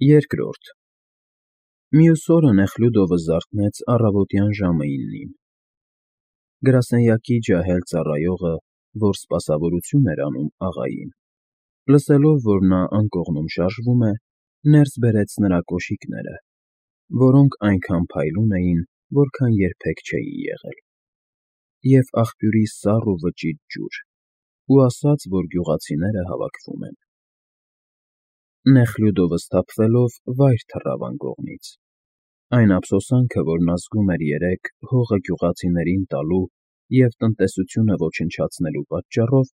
Երկրորդ Մյուս օրը Նեխլյուդովը զարթնեց առավոտյան ժամը 9-ին։ Գրասենյակի ջահել ծառայողը, որ սպասավորություն էր անում աղային, լսելով, որ նա անկողնում շարժվում է, ներս բերեց նրա կոշիկները, որոնք այնքան փայլուն էին, որքան երբեք չէին եղել, և աղբյուրի սառ ու վճիտ ջուր, ու ասաց, որ գյուղացիները հավաքվում են։ Նեխլյուդովը սթափվելով վայր թռավ անկողնից։ Այն ափսոսանքը, որ նա զգում էր երեկ հողը գյուղացիներին տալու և տնտեսությունը ոչնչացնելու պատճառով,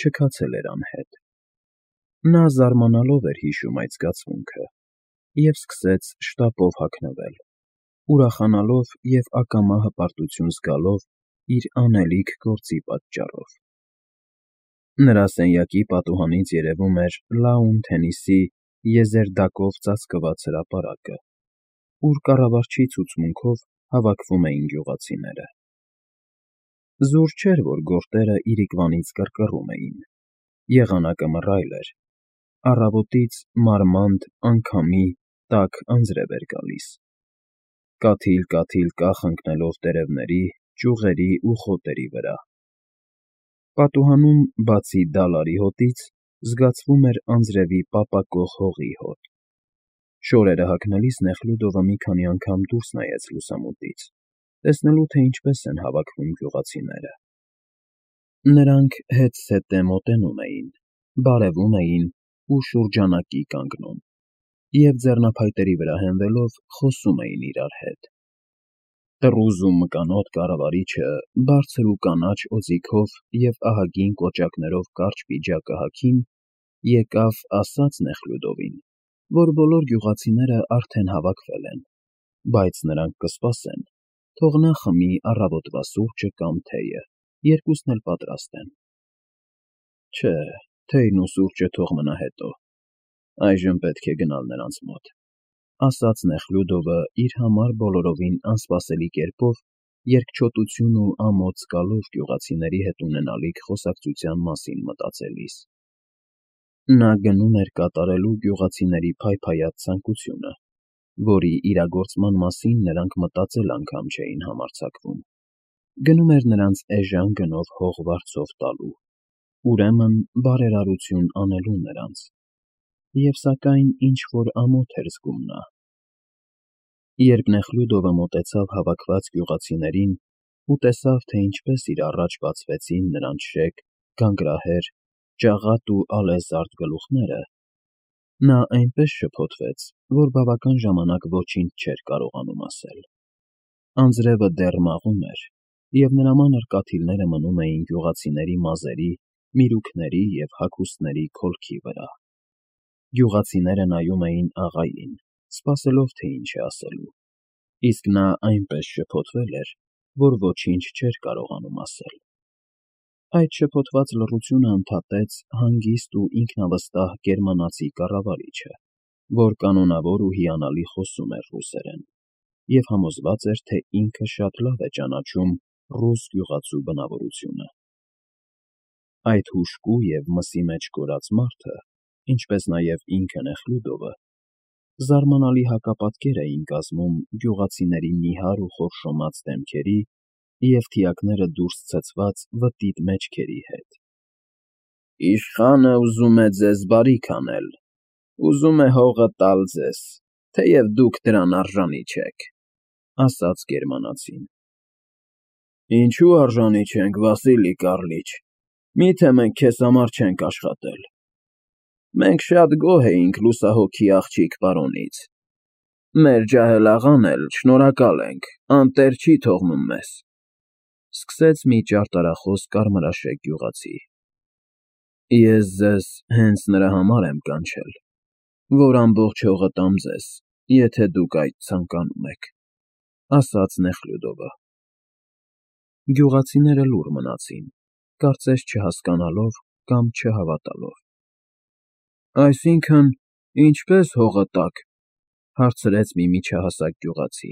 չքացել էր անհետ։ Նա զարմանալով էր հիշում այդ զգացմունքը և սկսեց շտապով հագնվել, ուրախանալով և ակամա հպարտություն զգալով իր անելիք գործի պատճառով։ Նրա սենյակի պատուհանից երևում էր լաուն թենիսի եզերդակով ծածկված հրապարակը, ուր կառավարչի ցուցմունքով հավաքվում էին գյուղացիները։ Զուր չէր, որ գորտերը իրիկվանից կռկռում էին, եղանակը մռայլ էր, առավոտից մարմանդ, անգամի, տաք անձրև էր գալիս, կաթիլ-կաթիլ կախ ընկնելով տերևների, ճյուղերի ու խոտերի վրա։ Պատուհանում, բացի դալարի հոտից, զգացվում էր անձրևի պապակող հողի հոտ։ Շորերը հագնելիս Նեխլյուդովը մի քանի անգամ դուրս նայեց լուսամուտից, տեսնելու, թե ինչպես են հավաքվում գյուղացիները։ Նրանք հետզհետե մոտենում էին, բարևում էին ու շուրջանակի կանգնում, և ձեռնափայտերի վրա հենվելով խոսում էին իրար հետ։ Տռուզ ու մկանոտ կառավարիչը բարձր ու կանաչ օձիքով և ահագին կոճակներով կարճ պիջակը հագին եկավ, ասաց Նեխլյուդովին, որ բոլոր գյուղացիները արդեն հավաքվել են, բայց նրանք կսպասեն, թող նա խմի առավոտվա սուրճը կամ թեյը, երկուսն էլ պատրաստ են։ Չէ, թեյն ու սուրճը թող մնա հետո, այժմ պետք է գնալ նրանց մոտ, ասաց Նեխլյուդովը իր համար բոլորովին անսպասելի կերպով, երկչոտություն ու ամոթ զգալով գյուղացիների հետ ունենալիք խոսակցության մասին մտածելիս։ Նա գնում էր կատարելու գյուղացիների փայփայած ցանկությունը, որի իրագործման մասին նրանք մտածել անգամ չէին համարձակվում։ Գնում էր նրանց էժան գնով հող վարձով տալու, ուրեմն բարերարություն անելու նրանց, և սակայն ինչ-որ ամոթ էր զգում նա։ Երբ Նեխլյուդովը մոտեցավ հավաքված գյուղացիներին ու տեսավ, թե ինչպես իր առաջ բացվեցին նրանց շեկ, գանգրահեր, ճաղատ ու ալեզարդ գլուխները, նա այնպես շփոթվեց, որ բավական ժամանակ ոչինչ չէր կարողանում ասել։ Անձրևը դեռ մաղում էր, և նրա մանր կաթիլները մնում էին գյուղացիների մազերի, միրուքների և հագուստների քոլքի վրա։ Գյուղացիները նայում էին աղային, սպասելով, թե ինչ է ասելու, իսկ նա այնպես շփոթվել էր, որ ոչինչ չէր կարողանում ասել։ Այդ շփոթված լռությունը ընդհատեց հանգիստ ու ինքնավստահ գերմանացի կառավարիչը, որ կանոնավոր ու հիանալի խոսում էր ռուսերեն, և համոզված էր, թե ինքը շատ լավ է ճանաչում ռուս գյուղացու բնավորությունը։ Այդ հուժկու և մսի մեջ կորած մարդը, ինչպես նաև ինքը Նեխլյուդովը, զարմանալի հակապատկեր էին կազմում գյուղացիների նիհար ու խորշոմած դեմքերի և թիակները դուրս ցցված վտիտ մեջքերի հետ։ «Իշխանը ուզում է ձեզ բարիք անել, ուզում է հողը տալ ձեզ, թեև դուք դրան արժանի չեք», ֊ ասաց գերմանացին։ «Ինչու արժանի չենք, Վասիլի Կառլիչ, մի՞թե մենք քեզ համար չենք աշխատել։ Մենք շատ գոհ էինք լուսահոգի աղջիկ պարոնից։ Մեր ջահել աղան էլ, շնորհակալ ենք, անտեր չի թողնում մեզ», ֊ սկսեց մի ճարտարախոս կարմրաշեկ գյուղացի։ «Ես ձեզ հենց նրա համար եմ կանչել, որ ամբողջ հողը տամ ձեզ, եթե դուք այդ ցանկանում եք», ֊ ասաց Նեխլյուդովը։ Գյուղացիները լուռ մնացին, կարծես չհասկանալով կամ չհավատալով։ «Այսինքն՝ ինչպե՞ս հողը տաք,֊ հարցրեց մի միջահասակ գյուղացի։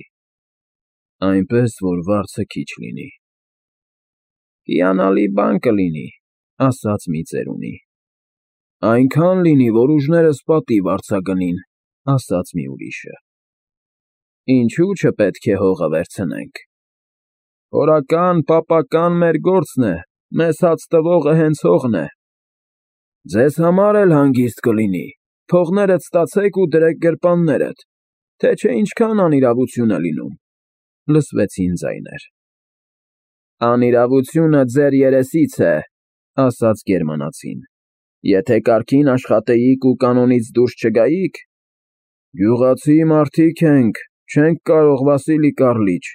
«Այնպես, որ վարձը քիչ լինի»։ «Հիանալի բան կլինի,֊ ասաց մի ծերունի։ «Այնքան լինի, որ ուժներս պատիվ արձագնին», ասաց մի ուրիշը։ Ինչու չպետք է հողը վերցնենք։ Հորական, պապական մեր գործն է, մեզ հաց տվողը հենց հողն է։ Ձեզ համար էլ հանգիստ կլինի, փողներդ ստացեք ու դրեք գրպաններդ, թե չէ ինչքան անիրավություն է լինում, լսվեցին ձայներ։ Անիրավությունը ձեր երեսից է, ասաց գերմանացին, եթե կարգին աշխատեիք ու կանոնից դուրս չգայիք, գյուղացի մարդիկ ենք, չենք կարող, Վասիլի Կառլիչ,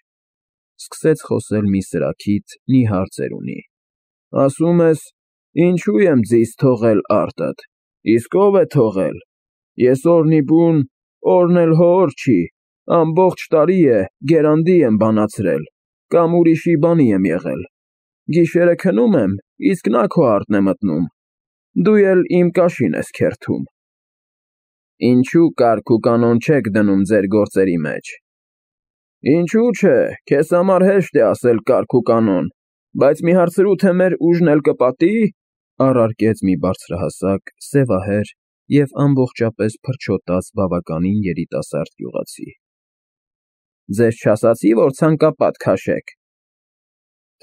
սկսեց խոսել մի սրաքիթ նիհար ծերունի, ասում ես, ինչու եմ ձիզ թողել արտդ, իսկ ով է թողել, ես օրնի բուն, օրն էլ հոր չի, ամբողջ տարի է, գերանդի եմ բանացրել, կամ ուրիշի բանի եմ եղել, գիշերը քնում եմ, իսկ նա քո արտն է մտնում, դու էլ իմ կաշին ես քերթում։ Ինչու կարգ ու կանոն չեք դնում ձեր գործերի մեջ։ Ինչու չէ, քեզ համար հեշտ է ասել կարգ ու կանոն, բայց մի հարցրու, թե մեր ուժն էլ կպատի, առարկեց մի բարձրահասակ, սևահեր և ամբողջապես փրչոտած բավականին երիտասարդ գյուղացի։ Ձեզ չասացի, որ ցանկապատ քաշեք։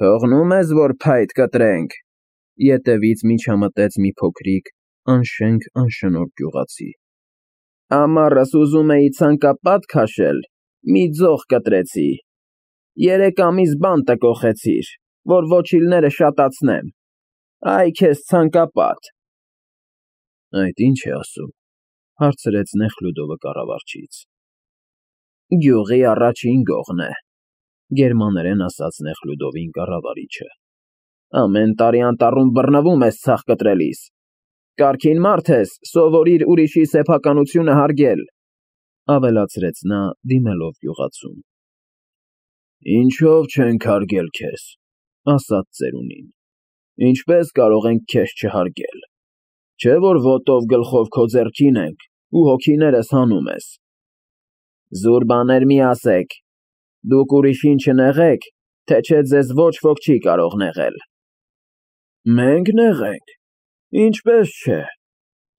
Թողնում ես, որ փայտ կտրենք, ետևից միջամտեց մի փոքրիկ, անշենք անշնորհ գյուղացի։ Ամառս ուզում էի ցանկապատ քաշել, մի ձող կտրեցի, 3 ամիս բանտը կոխեցիր, որ ոչիլները շատացնեմ, այ քեզ ցանկապատ։ Այդ ինչ է ասում, հարցրեց Նեխլյուդովը կառավարչից։ Գյուղի առաջին գողն է, գերմաներեն ասաց Նեխլյուդովին կառավարիչը։ Ամեն տարի անտառում բռնվում ես ցախ կտրելիս, կարգին մարդ ես, սովորիր ուրիշի սեփականությունը հարգել, ավելացրեց նա դիմելով գյուղացուն։ Ինչով չենք հարգել քեզ, ասաց ծերունին, ինչպես կարող ենք քեզ չհարգել, չէ որ ոտով գլխով քո ձեռքին ենք ու հոգիներս հանում ես։ Զուր բաներ մի ասեք, դուք ուրիշին չնեղեք, թե չէ ձեզ ոչ ոք չի կարող նեղել։ Մենք նեղենք, ինչպես չէ,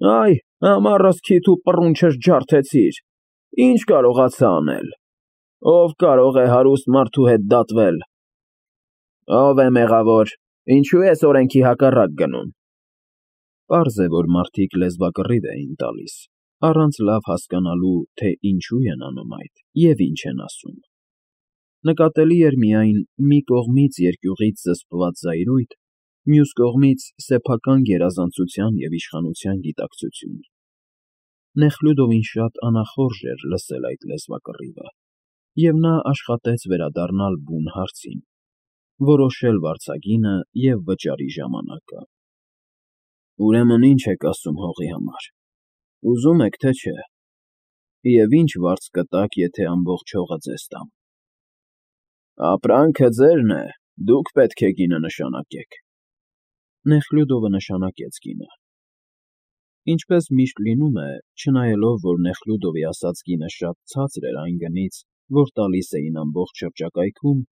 այ ամառս քիթ ու պռունչս ջարդեցիր, ինչ կարողացա անել, ով կարող է հարուստ մարդու հետ դատվել։ Ով է մեղավոր, ինչու ես օրենքի հակառակ գնում։ Պարզ է, որ մարդիկ լեզվակռիվ էին տալիս, առանց լավ հասկանալու, թե ինչու են անում այդ և ինչ են ասում։ Նկատելի էր միայն մի կողմից երկյուղից զսպված զայրույթ, մյուս կողմից սեփական գերազանցության և իշխանության գիտակցություն։ Նեխլյուդովին շատ անախորժ էր լսել այդ լեզվակռիվը, և նա աշխատեց վերադառնալ բուն հարցին, որոշել վարձագինը և վճարի ժամանակը։ Ուրեմն ինչ եք ասում հողի համար, ուզում եք, թե չէ, և ինչ վարձ կտաք, եթե ամբողջ հողը ձեզ տամ։ Ապրանքը ձերն է, դուք պետք է գինը նշանակեք։ Նեխլյուդովը նշանակեց գինը։ Ինչպես միշտ լինում է, չնայելով, որ Նեխլյուդովի ասած գինը շատ ցածր էր այն գնից, որ տալիս էին ամբողջ շրջակայքում,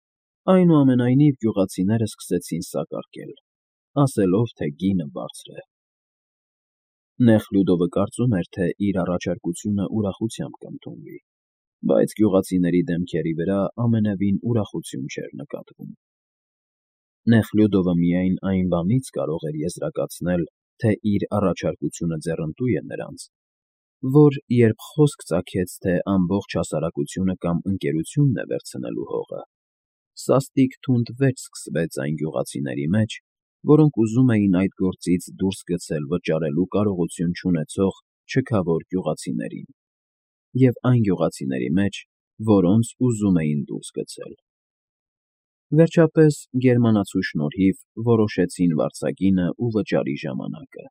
այնուամենայնիվ գյուղացիները սկսեցին սակարկել, ասելով, թե գինը բարձր է։ Նեխլյուդովը կարծում էր, թե իր առաջարկությունը ուրախությամբ կընդունվի, բայց գյուղացիների դեմքերի վրա ամենևին ուրախություն չէր նկատվում։ Նեխլյուդովը միայն այն բանից կարող էր եզրակացնել, թե իր առաջարկությունը ձեռնտու է նրանց, որ երբ խոսք ծագեց, թե ամբողջ հասարակությունը կամ ընկերությունն է վերցնելու հողը, սաստիկ թունդ վեճ սկսվեց այն գյուղացիների մեջ, որոնք ուզում էին այդ գործից դուրս գցել վճարելու կարողություն չունեցող չքավոր գյուղացիներին, և այն գյուղացիների մեջ, որոնց ուզում էին դուրս գցել։ Վերջապես, գերմանացու շնորհիվ որոշեցին վարձագինը ու վճարի ժամանակը,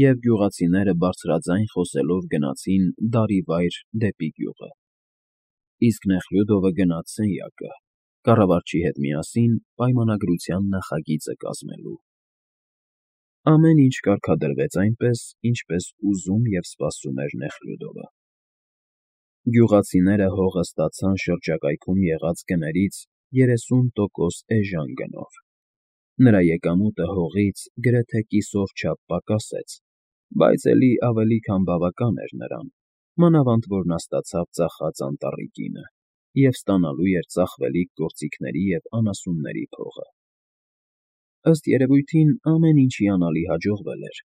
և գյուղացիները բարձրաձայն խոսելով գնացին դարիվայր դեպի գյուղը, իսկ Նեխլյուդովը գնաց սենյակը, կառավարչի հետ միասին պայմանագրության նախագիծը կազմելու։ Ամեն ինչ կարգադրվեց այնպես, ինչպես ուզում և սպասում էր Նեխլյուդովը։ Գյուղացիները հողը ստացան շրջակայքում եղած գներից 30% էժան գնով։ Նրա եկամուտը հողից գրեթե կիսով չափ պակասեց, բայց էլի ավելի քան բավական էր նրան, մանավանդ որ նա ստացավ ծախած անտառի կինը և ստանալու էր ծախվելիք գործիքների և անասունների փողը։ Ըստ երևույթին ամեն ինչ հիանալի հաջողվել էր,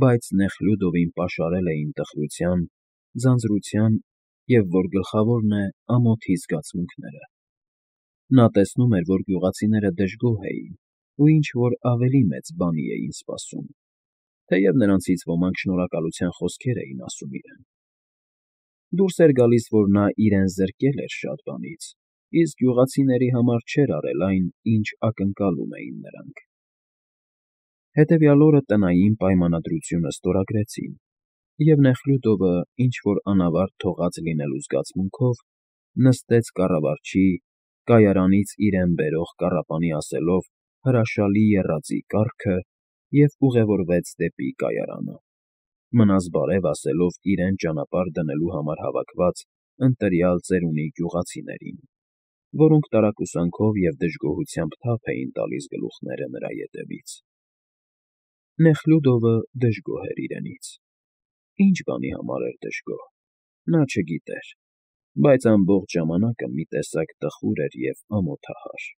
բայց Նեխլյուդովին պաշարել էին տխրության, ձանձրության և, որ գլխավորն է, ամոթի զգացմունքները։ Նա տեսնում էր, որ գյուղացիները դժգոհ էին ու ինչ֊որ ավելի մեծ բանի էին սպասում, թեև նրանցից ոմանք շնորհակալության խոսքեր էին ասում իրեն։ Դուրս էր գալիս, որ նա իրեն զրկել էր շատ բանից, իսկ գյուղացիների համար չէր արել այն, ինչ ակնկալում էին նրանք։ Հետևյալ օրը տնային պայմանագրությունը ստորագրեցին, և Նեխլյուդովը, ինչ֊որ անավարտ թողած լինելու զգացմունքով, նստեց կառավարչի՝ կայարանից իրեն բերող կառապանի ասելով հրաշալի եռածի կառքը և ուղևորվեց դեպի կայարանը, մնաս բարև ասելով իրեն ճանապարհ դնելու համար հավաքված ընտրյալ ծերունի գյուղացիներին, որոնք տարակուսանքով և դժգոհությամբ թափ էին տալիս գլուխները նրա ետևից։ Նեխլյուդովը դժգոհ էր իրենից։ Ինչ բանի համար էր դժգոհ՝ նա չգիտեր, բայց ամբողջ ժամանակը մի տեսակ տխուր էր և ամոթահար։